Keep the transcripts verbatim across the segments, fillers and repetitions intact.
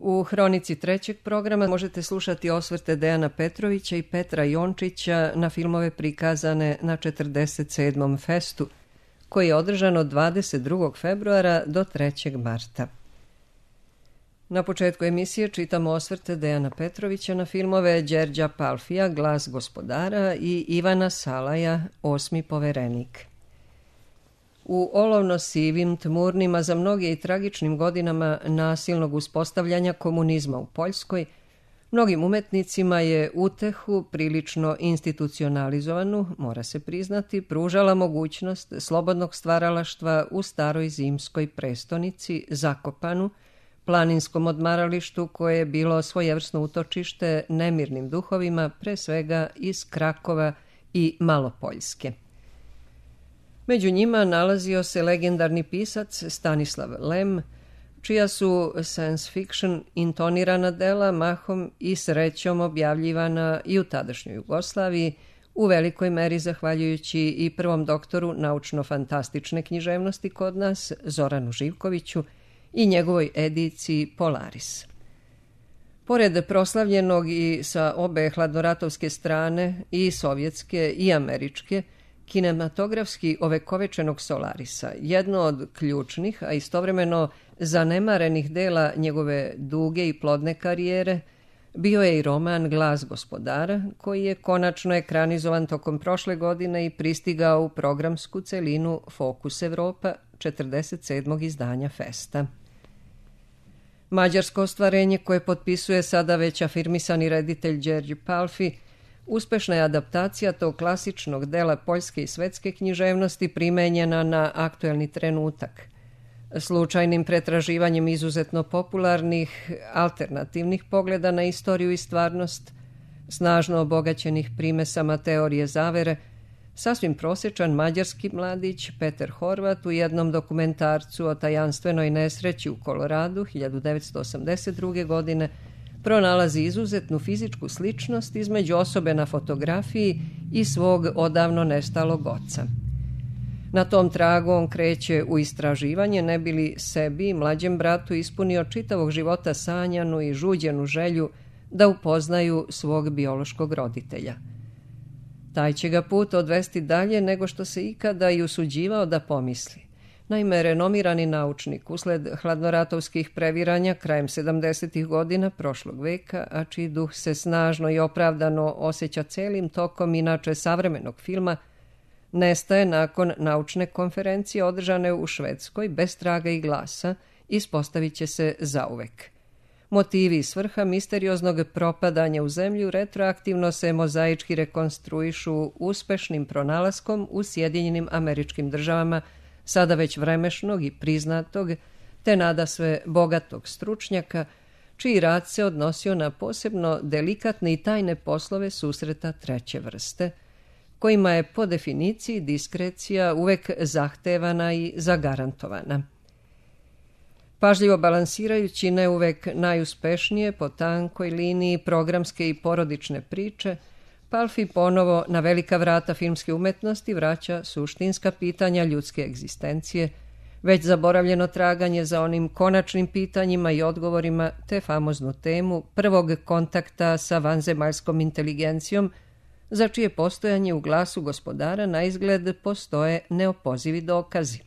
U hronici trećeg programa možete slušati osvrte Dejana Petrovića i Petra Jončića na filmove prikazane na četrdeset sedmom festu, koji je održan od dvadeset drugog februara do trećeg marta. Na početku emisije čitamo osvrte Dejana Petrovića na filmove Đerđa Palfija, Glas gospodara i Ivana Salaja, Osmi poverenik. U olovno-sivim, tmurnim, a za mnoge i tragičnim godinama nasilnog uspostavljanja komunizma u Poljskoj, mnogim umetnicima je utehu, prilično institucionalizovanu, mora se priznati, pružala mogućnost slobodnog stvaralaštva u staroj zimskoj prestonici, Zakopanu, planinskom odmaralištu koje je bilo svojevrsno utočište nemirnim duhovima, pre svega iz Krakova i Malopoljske. Među njima nalazio se legendarni pisac Stanislav Lem, čija su science fiction intonirana dela mahom i srećom objavljivana i u tadašnjoj Jugoslaviji, u velikoj meri zahvaljujući i prvom doktoru naučno-fantastične književnosti kod nas, Zoranu Živkoviću, i njegovoj ediciji Polaris. Pored proslavljenog i sa obe hladnoratovske strane, i sovjetske i američke, kinematografski ovekovečenog Solarisa, jedno od ključnih, a istovremeno zanemarenih dela njegove duge i plodne karijere, bio je i roman Glas gospodara, koji je konačno ekranizovan tokom prošle godine i pristigao u programsku celinu Fokus Evropa četrdeset sedmog izdanja Festa. Mađarsko ostvarenje koje potpisuje sada već afirmisani reditelj Đerđi Palfi, uspešna je adaptacija tog klasičnog dela poljske i svetske književnosti primenjena na aktuelni trenutak. Slučajnim pretraživanjem izuzetno popularnih, alternativnih pogleda na istoriju i stvarnost, snažno obogaćenih primesama teorije zavere, sasvim prosječan mađarski mladić Peter Horvat u jednom dokumentarcu o tajanstvenoj nesreći u Koloradu hiljadu devetsto osamdeset druge. godine pronalazi izuzetnu fizičku sličnost između osobe na fotografiji i svog odavno nestalog oca. Na tom tragu on kreće u istraživanje, ne bi li sebi i mlađem bratu ispunio čitavog života sanjanu i žuđenu želju da upoznaju svog biološkog roditelja. Taj će ga put odvesti dalje nego što se ikada i usuđivao da pomisli. Naime, renomirani naučnik usled hladnoratovskih previranja krajem sedamdesetih godina prošlog veka, a čiji duh se snažno i opravdano osjeća celim tokom inače savremenog filma, nestaje nakon naučne konferencije održane u Švedskoj bez traga i glasa, ispostavit će se zauvek. Motivi i svrha misterioznog propadanja u zemlju retroaktivno se mozaički rekonstruišu uspešnim pronalaskom u Sjedinjenim Američkim Državama, sada već vremešnog i priznatog, te nadasve bogatog stručnjaka, čiji rad se odnosio na posebno delikatne i tajne poslove susreta treće vrste, kojima je po definiciji diskrecija uvek zahtevana i zagarantovana. Pažljivo balansirajući ne uvek najuspešnije po tankoj liniji programske i porodične priče, Palfi ponovo na velika vrata filmske umetnosti vraća suštinska pitanja ljudske egzistencije, već zaboravljeno traganje za onim konačnim pitanjima i odgovorima, te famoznu temu prvog kontakta sa vanzemaljskom inteligencijom, za čije postojanje u Glasu gospodara na izgled postoje neopozivi dokazi.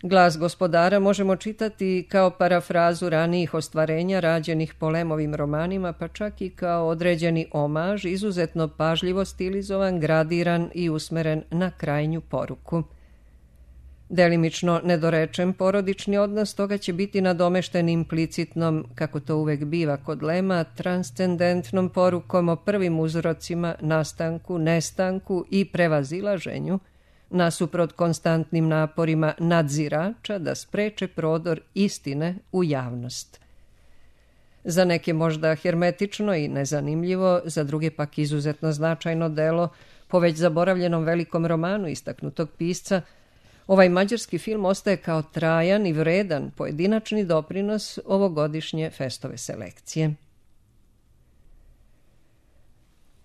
Glas gospodara možemo čitati kao parafrazu ranijih ostvarenja rađenih po Lemovim romanima, pa čak i kao određeni omaž, izuzetno pažljivo stilizovan, gradiran i usmeren na krajnju poruku. Delimično nedorečen porodični odnos toga će biti nadomešten implicitnom, kako to uvek biva kod Lema, transcendentnom porukom o prvim uzrocima, nastanku, nestanku i prevazilaženju, nasuprot konstantnim naporima nadzirača da spreče prodor istine u javnost. Za neke možda hermetično i nezanimljivo, za druge pak izuzetno značajno delo, po već zaboravljenom velikom romanu istaknutog pisca, ovaj mađarski film ostaje kao trajan i vredan pojedinačni doprinos ovogodišnje Festove selekcije.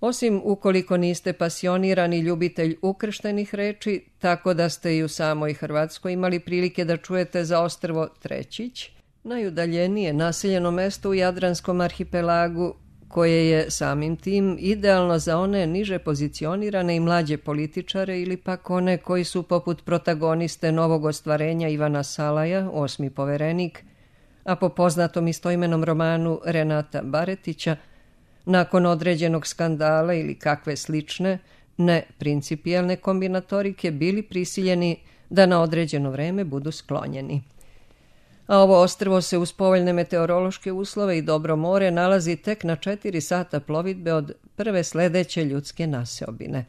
Osim ukoliko niste pasionirani ljubitelj ukrštenih reči, tako da ste i u samoj Hrvatskoj imali prilike da čujete za ostrvo Trećić, Najudaljenije naseljeno mesto u Jadranskom arhipelagu, koje je samim tim idealno za one niže pozicionirane i mlađe političare ili pak one koji su poput protagoniste novog ostvarenja Ivana Salaja, osmi poverenik, a po poznatom istoimenom romanu Renata Baretića, nakon određenog skandala ili kakve slične, ne principijelne kombinatorike, bili prisiljeni da na određeno vreme budu sklonjeni. A ovo ostrvo se uz povoljne meteorološke uslove i dobro more nalazi tek na četiri sata plovidbe od prve sledeće ljudske naseobine.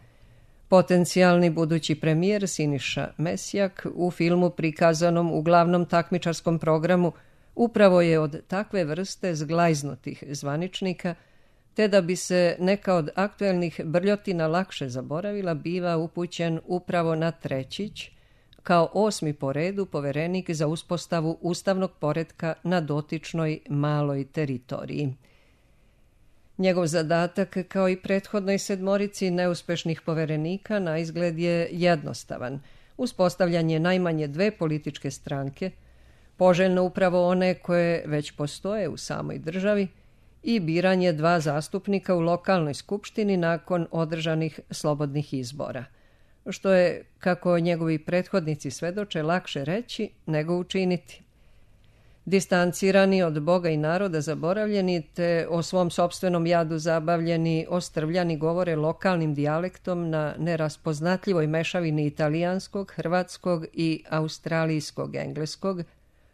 Potencijalni budući premijer Siniša Mesjak u filmu prikazanom u glavnom takmičarskom programu upravo je od takve vrste zglajznutih zvaničnika, te da bi se neka od aktuelnih brljotina lakše zaboravila, biva upućen upravo na Trećić, kao osmi po redu poverenik za uspostavu ustavnog poretka na dotičnoj maloj teritoriji. Njegov zadatak, kao i prethodnoj sedmorici neuspešnih poverenika, na izgled je jednostavan: uspostavljanje najmanje dve političke stranke, poželjno upravo one koje već postoje u samoj državi, i biranje dva zastupnika u lokalnoj skupštini nakon održanih slobodnih izbora, što je, kako njegovi prethodnici svedoče, lakše reći nego učiniti. Distancirani od Boga i naroda, zaboravljeni, te o svom sopstvenom jadu zabavljeni, ostrvljani govore lokalnim dijalektom na neraspoznatljivoj mešavini italijanskog, hrvatskog i australijskog engleskog,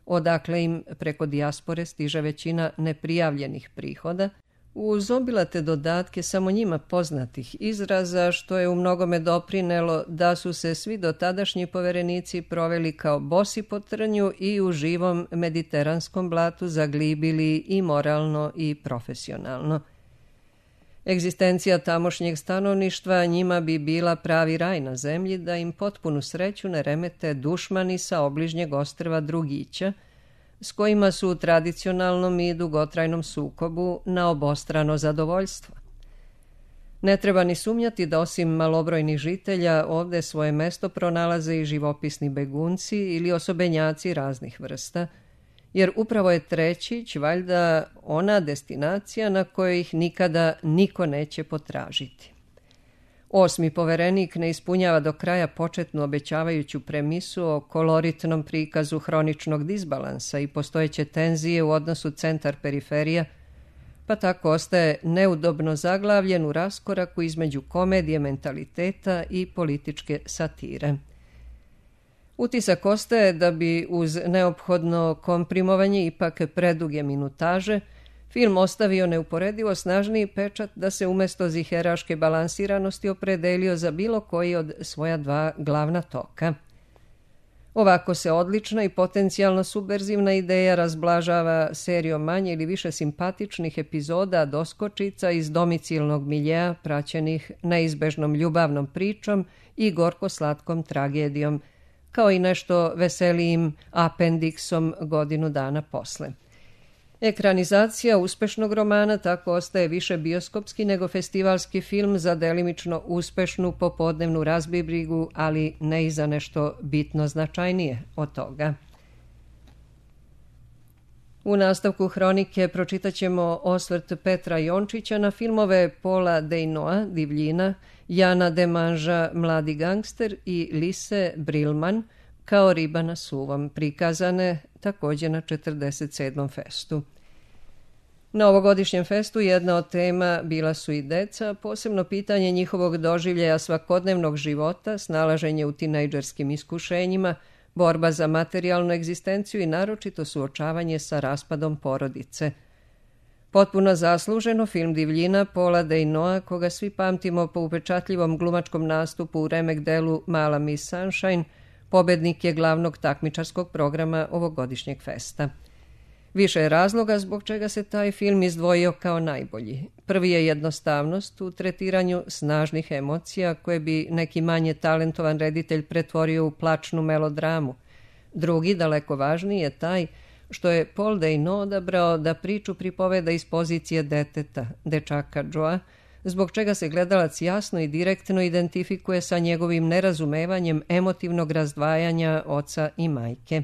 odakle im preko dijaspore stiže većina neprijavljenih prihoda, uz obilate dodatke samo njima poznatih izraza, što je u mnogome doprinelo da su se svi dotadašnji poverenici proveli kao bosi po trnju i u živom mediteranskom blatu zaglibili i moralno i profesionalno. Egzistencija tamošnjeg stanovništva njima bi bila pravi raj na zemlji da im potpunu sreću ne remete dušmani sa obližnjeg ostrva Drugića, s kojima su u tradicionalnom i dugotrajnom sukobu na obostrano zadovoljstvo. Ne treba ni sumnjati da osim malobrojnih žitelja ovde svoje mesto pronalaze i živopisni begunci ili osobenjaci raznih vrsta, jer upravo je Trećić valjda ona destinacija na kojoj ih nikada niko neće potražiti. Osmi poverenik ne ispunjava do kraja početnu obećavajuću premisu o koloritnom prikazu hroničnog disbalansa i postojeće tenzije u odnosu centar-periferija, pa tako ostaje neudobno zaglavljen u raskoraku između komedije mentaliteta i političke satire. Utisak ostaje da bi uz neophodno komprimovanje ipak preduge minutaže film ostavio neuporedivo snažniji pečat da se umjesto ziheraške balansiranosti opredelio za bilo koji od svoja dva glavna toka. Ovako se odlična i potencijalno subverzivna ideja razblažava serijom manje ili više simpatičnih epizoda doskočica iz domicilnog miljeja praćenih neizbežnom ljubavnom pričom i gorko-slatkom tragedijom, kao i nešto veselijim apendiksom godinu dana posle. Ekranizacija uspešnog romana tako ostaje više bioskopski nego festivalski film za delimično uspešnu popodnevnu razbibrigu, ali ne i za nešto bitno značajnije od toga. U nastavku hronike pročitat ćemo osvrt Petra Jončića na filmove Paula Dejnoa, Divljina, Jana Demanža, Mladi gangster i Lise Brilman, Kao riba na suvom, prikazane također na četrdeset sedmom festu. Na ovogodišnjem festu jedna od tema bila su i deca, posebno pitanje njihovog doživljaja svakodnevnog života, snalaženje u tinejdžerskim iskušenjima, borba za materijalnu egzistenciju i naročito suočavanje sa raspadom porodice. Potpuno zasluženo film Divljina Paula Dejnoa, koga svi pamtimo po upečatljivom glumačkom nastupu u remek delu Mala Miss Sunshine, pobednik je glavnog takmičarskog programa ovogodišnjeg festa. Više je razloga zbog čega se taj film izdvojio kao najbolji. Prvi je jednostavnost u tretiranju snažnih emocija koje bi neki manje talentovan reditelj pretvorio u plačnu melodramu. Drugi, daleko važniji, je taj što je Paul Dejno odabrao da priču pripoveda iz pozicije deteta, dečaka Joa, zbog čega se gledalac jasno i direktno identifikuje sa njegovim nerazumevanjem emotivnog razdvajanja oca i majke.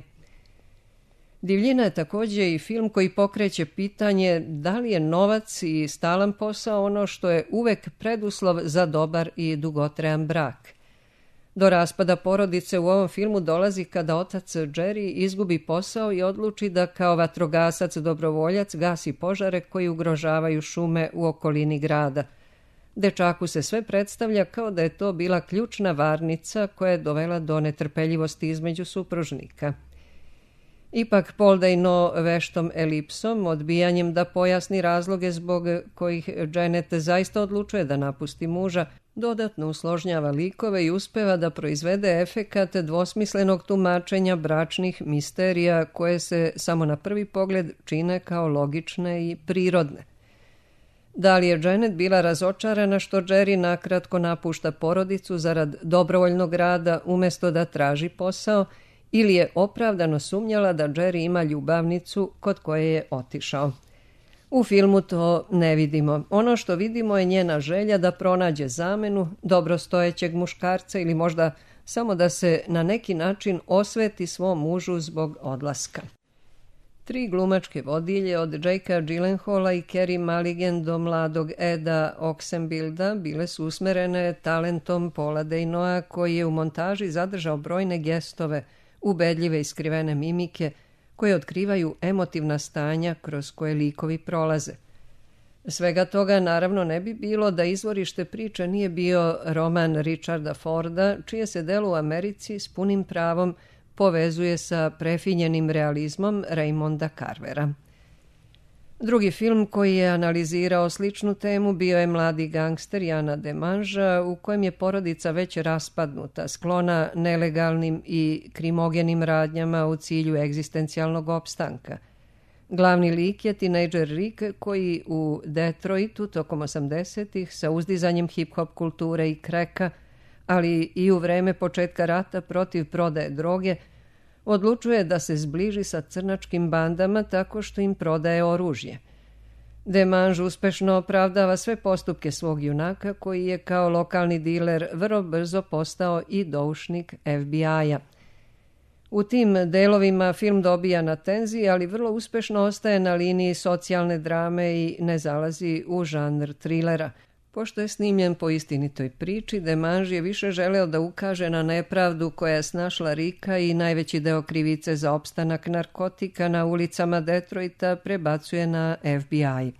Divljina je također i film koji pokreće pitanje da li je novac i stalan posao ono što je uvek preduslov za dobar i dugotrajan brak. Do raspada porodice u ovom filmu dolazi kada otac Jerry izgubi posao i odluči da kao vatrogasac dobrovoljac gasi požare koji ugrožavaju šume u okolini grada. Dečaku se sve predstavlja kao da je to bila ključna varnica koja je dovela do netrpeljivosti između supružnika. Ipak Paul Dano veštom elipsom, odbijanjem da pojasni razloge zbog kojih Janet zaista odlučuje da napusti muža, dodatno usložnjava likove i uspeva da proizvede efekat dvosmislenog tumačenja bračnih misterija koje se samo na prvi pogled čine kao logične i prirodne. Da li je Janet bila razočarana što Jerry nakratko napušta porodicu zarad dobrovoljnog rada umjesto da traži posao, ili je opravdano sumnjala da Jerry ima ljubavnicu kod koje je otišao. U filmu to ne vidimo. Ono što vidimo je njena želja da pronađe zamenu, dobrostojećeg muškarca ili možda samo da se na neki način osveti svom mužu zbog odlaska. Tri glumačke vodilje od Jakea Gyllenhaala i Carey Mulligan do mladog Eda Oxenbilda bile su usmerene talentom Paula Danoa koji je u montaži zadržao brojne gestove, ubedljive i skrivene mimike koje otkrivaju emotivna stanja kroz koje likovi prolaze. Svega toga naravno ne bi bilo da izvorište priče nije bio roman Richarda Forda, čije se delo u Americi s punim pravom povezuje sa prefinjenim realizmom Raymonda Carvera. Drugi film koji je analizirao sličnu temu bio je Mladi gangster Jana Demangea, u kojem je porodica već raspadnuta, sklona nelegalnim i krimogenim radnjama u cilju egzistencijalnog opstanka. Glavni lik je tinejdžer Rick koji u Detroitu tokom osamdesetih sa uzdizanjem hip-hop kulture i kreka, ali i u vreme početka rata protiv prodaje droge, odlučuje da se zbliži sa crnačkim bandama tako što im prodaje oružje. Demange uspešno opravdava sve postupke svog junaka koji je kao lokalni diler vrlo brzo postao i doušnik F B I-a. U tim delovima film dobija na tenziji, ali vrlo uspešno ostaje na liniji socijalne drame i ne zalazi u žanr trilera. Pošto je snimljen po istinitoj priči, Demange je više želeo da ukaže na nepravdu koja je snašla Rika i najveći deo krivice za opstanak narkotika na ulicama Detroita prebacuje na F B I.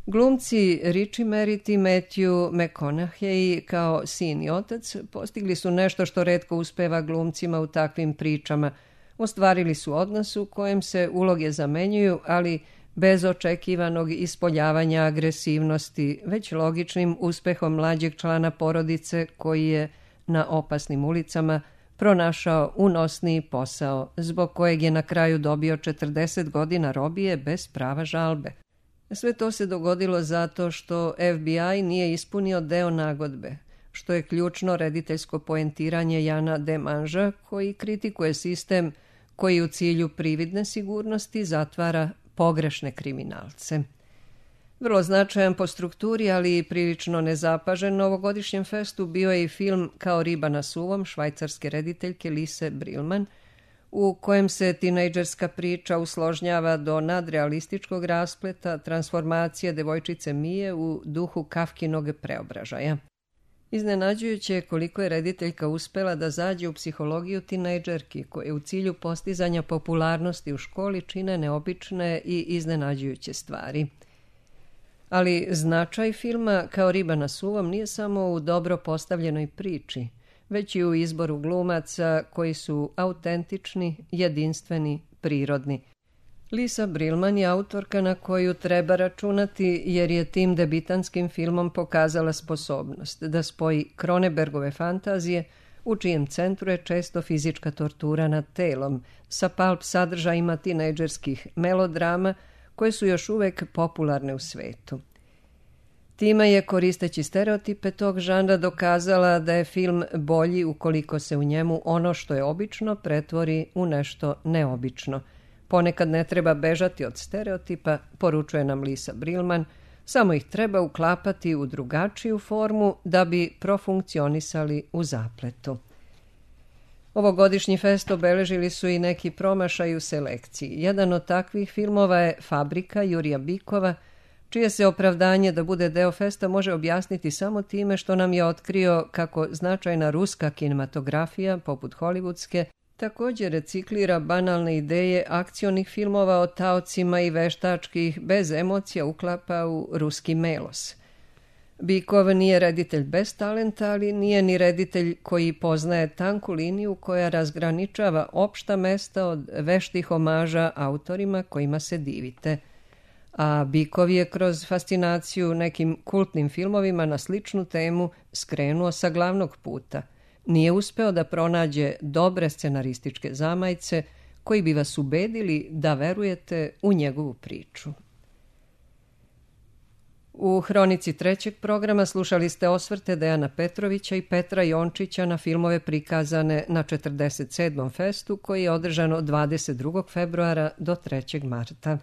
Glumci Richie Merritt i Matthew McConaughey kao sin i otac postigli su nešto što retko uspeva glumcima u takvim pričama. Ostvarili su odnos u kojem se uloge zamenjuju, ali bez očekivanog ispoljavanja agresivnosti, već logičnim uspehom mlađeg člana porodice koji je na opasnim ulicama pronašao unosniji posao, zbog kojeg je na kraju dobio četrdeset godina robije bez prava žalbe. Sve to se dogodilo zato što F B I nije ispunio deo nagodbe, što je ključno rediteljsko poentiranje Jana Demangea koji kritikuje sistem koji u cilju prividne sigurnosti zatvara pogrešne kriminalce. Vrlo značajan po strukturi, ali i prilično nezapažen novogodišnjem festu bio je i film Kao riba na suvom švajcarske rediteljke Lise Brilman, u kojem se tinejdžerska priča usložnjava do nadrealističkog raspleta transformacije devojčice Mije u duhu Kafkinog preobražaja. Iznenađujuće je koliko je rediteljka uspela da zađe u psihologiju tinejdžerki koje u cilju postizanja popularnosti u školi čine neobične i iznenađujuće stvari. Ali značaj filma Kao riba na suvom nije samo u dobro postavljenoj priči, već i u izboru glumaca koji su autentični, jedinstveni, prirodni. Lisa Brilman je autorka na koju treba računati jer je tim debitantskim filmom pokazala sposobnost da spoji Cronenbergove fantazije, u čijem centru je često fizička tortura nad telom, sa pulp sadržajima tinejdžerskih melodrama koje su još uvek popularne u svetu. Time je, koristeći stereotipe tog žanra, dokazala da je film bolji ukoliko se u njemu ono što je obično pretvori u nešto neobično. Ponekad ne treba bežati od stereotipa, poručuje nam Lisa Brilman, samo ih treba uklapati u drugačiju formu da bi profunkcionisali u zapletu. Ovogodišnji fest obeležili su i neki promašaj u selekciji. Jedan od takvih filmova je Fabrika Jurija Bikova, čije se opravdanje da bude deo festa može objasniti samo time što nam je otkrio kako značajna ruska kinematografija, poput hollywoodske, također reciklira banalne ideje akcionih filmova o taocima i veštačkih bez emocija uklapa u ruski melos. Bikov nije reditelj bez talenta, ali nije ni reditelj koji poznaje tanku liniju koja razgraničava opšta mesta od veštih omaža autorima kojima se divite. A Bikov je kroz fascinaciju nekim kultnim filmovima na sličnu temu skrenuo sa glavnog puta. Nije uspeo da pronađe dobre scenarističke zamajce koji bi vas ubedili da verujete u njegovu priču. U hronici trećeg programa slušali ste osvrte Dejana Petrovića i Petra Jončića na filmove prikazane na četrdeset sedmom festu koji je održan od dvadeset drugog februara do trećeg marta.